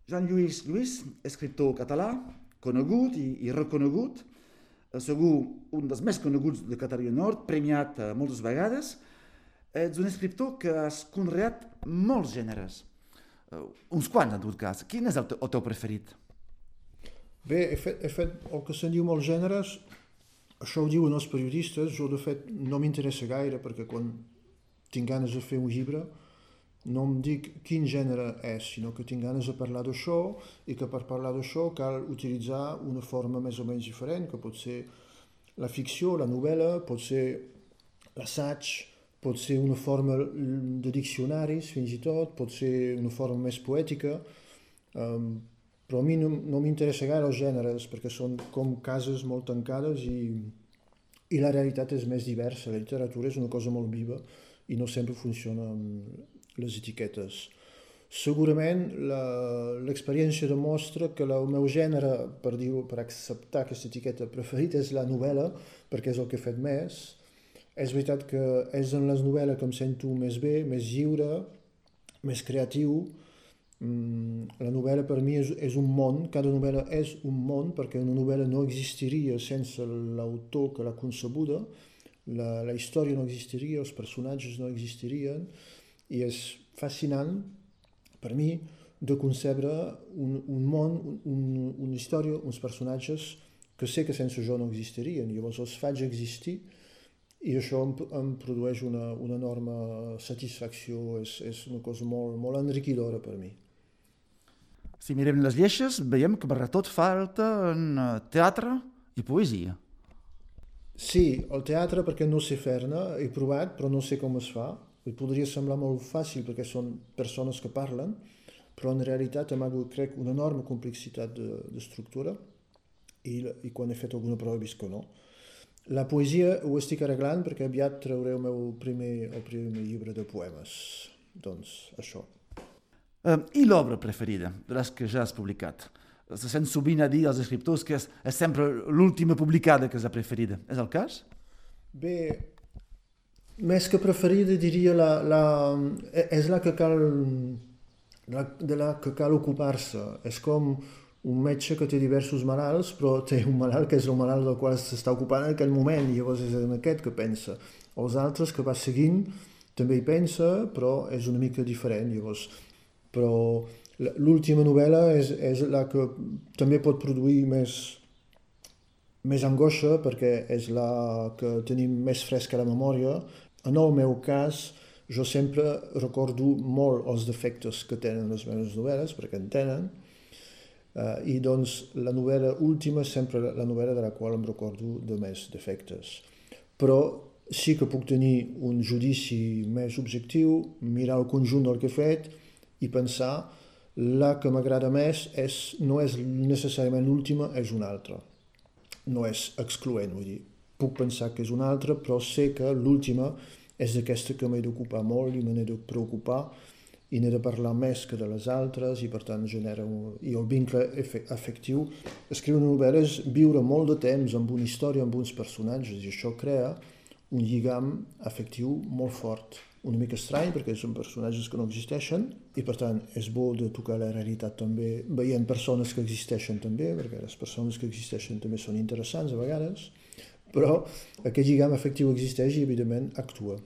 Jean-Lluís Lluís, escriptor català, conegut i reconegut, segur un dels més coneguts de Catalunya Nord, premiat moltes vegades. Ets un escriptor que has conreat molts gèneres, uns quants en tot cas. Quin és el teu preferit? Bé, he fet el que se'n diu molts gèneres, això ho diuen els periodistes, jo de fet no m'interessa gaire perquè quan tinc ganes de fer un llibre no em dic quin gènere és, sinó que tinc ganes de parlar d'això i que per parlar d'això cal utilitzar una forma més o menys diferent, que pot ser la ficció, la novel·la, pot ser l'assaig, pot ser una forma de diccionaris fins i tot, pot ser una forma més poètica, però a mi no m'interessa gaire els gèneres perquè són com cases molt tancades i la realitat és més diversa. La literatura és una cosa molt viva i no sempre funciona amb les etiquetes. Segurament l'experiència demostra que el meu gènere, per acceptar aquesta etiqueta preferit, és la novel·la, perquè és el que he fet més. És veritat que és en les novel·les que em sento més bé, més lliure, més creatiu. La novel·la per mi és un món, cada novel·la és un món, perquè una novel·la no existiria sense l'autor que l'ha concebuda, la història no existiria, els personatges no existirien, i és fascinant per mi de concebre un món, una història, uns personatges que sé que sense jo no existirien. Llavors els faig existir i això em produeix una enorme satisfacció, és una cosa molt, molt enriquidora per mi. Si mirem les lleixes, veiem que per tot falta en teatre i poesia. Sí, el teatre perquè no sé fer-ne, he provat però no sé com es fa. Em podria semblar molt fàcil perquè són persones que parlen, però en realitat hem hagut, crec, una enorme complexitat d'estructura i quan he fet alguna prova he vist que no. La poesia ho estic arreglant perquè aviat trauré el primer llibre de poemes. Doncs això. I l'obra preferida de les que ja has publicat? Se sent sovint a dir als escriptors que és sempre l'última publicada que és la preferida. És el cas? Bé, més que preferida diria és la que cal de la que cal ocupar-se. És com un metge que té diversos malalts, però té un malalt que és el malalt del qual s'està ocupant en aquell moment, i llavors és en aquest que pensa. Els altres que va seguint també hi pensa, però és una mica diferent. Llavors, però l'última novel·la és la que també pot produir més angoixa perquè és la que tenim més fresca a la memòria. En el meu cas, jo sempre recordo molt els defectes que tenen les meves novel·les, perquè en tenen, i doncs la novel·la última és sempre la novel·la de la qual em recordo de més defectes. Però sí que puc tenir un judici més objectiu, mirar el conjunt del que he fet i pensar la que m'agrada més no és necessàriament l'última, és una altra. No és excloent, vull dir. Puc pensar que és una altra, però sé que l'última és aquesta que m'he d'ocupar molt i me n'he de preocupar i n'he de parlar més que de les altres i per tant genera i el vincle afectiu. Escriure una novel·la és viure molt de temps amb una història, amb uns personatges, i això crea un lligam afectiu molt fort. Una mica estrany perquè són personatges que no existeixen i per tant és bo de tocar la realitat també veient persones que existeixen també, perquè les persones que existeixen també són interessants a vegades, però aquest lligam afectiu existeix i evidentment actua.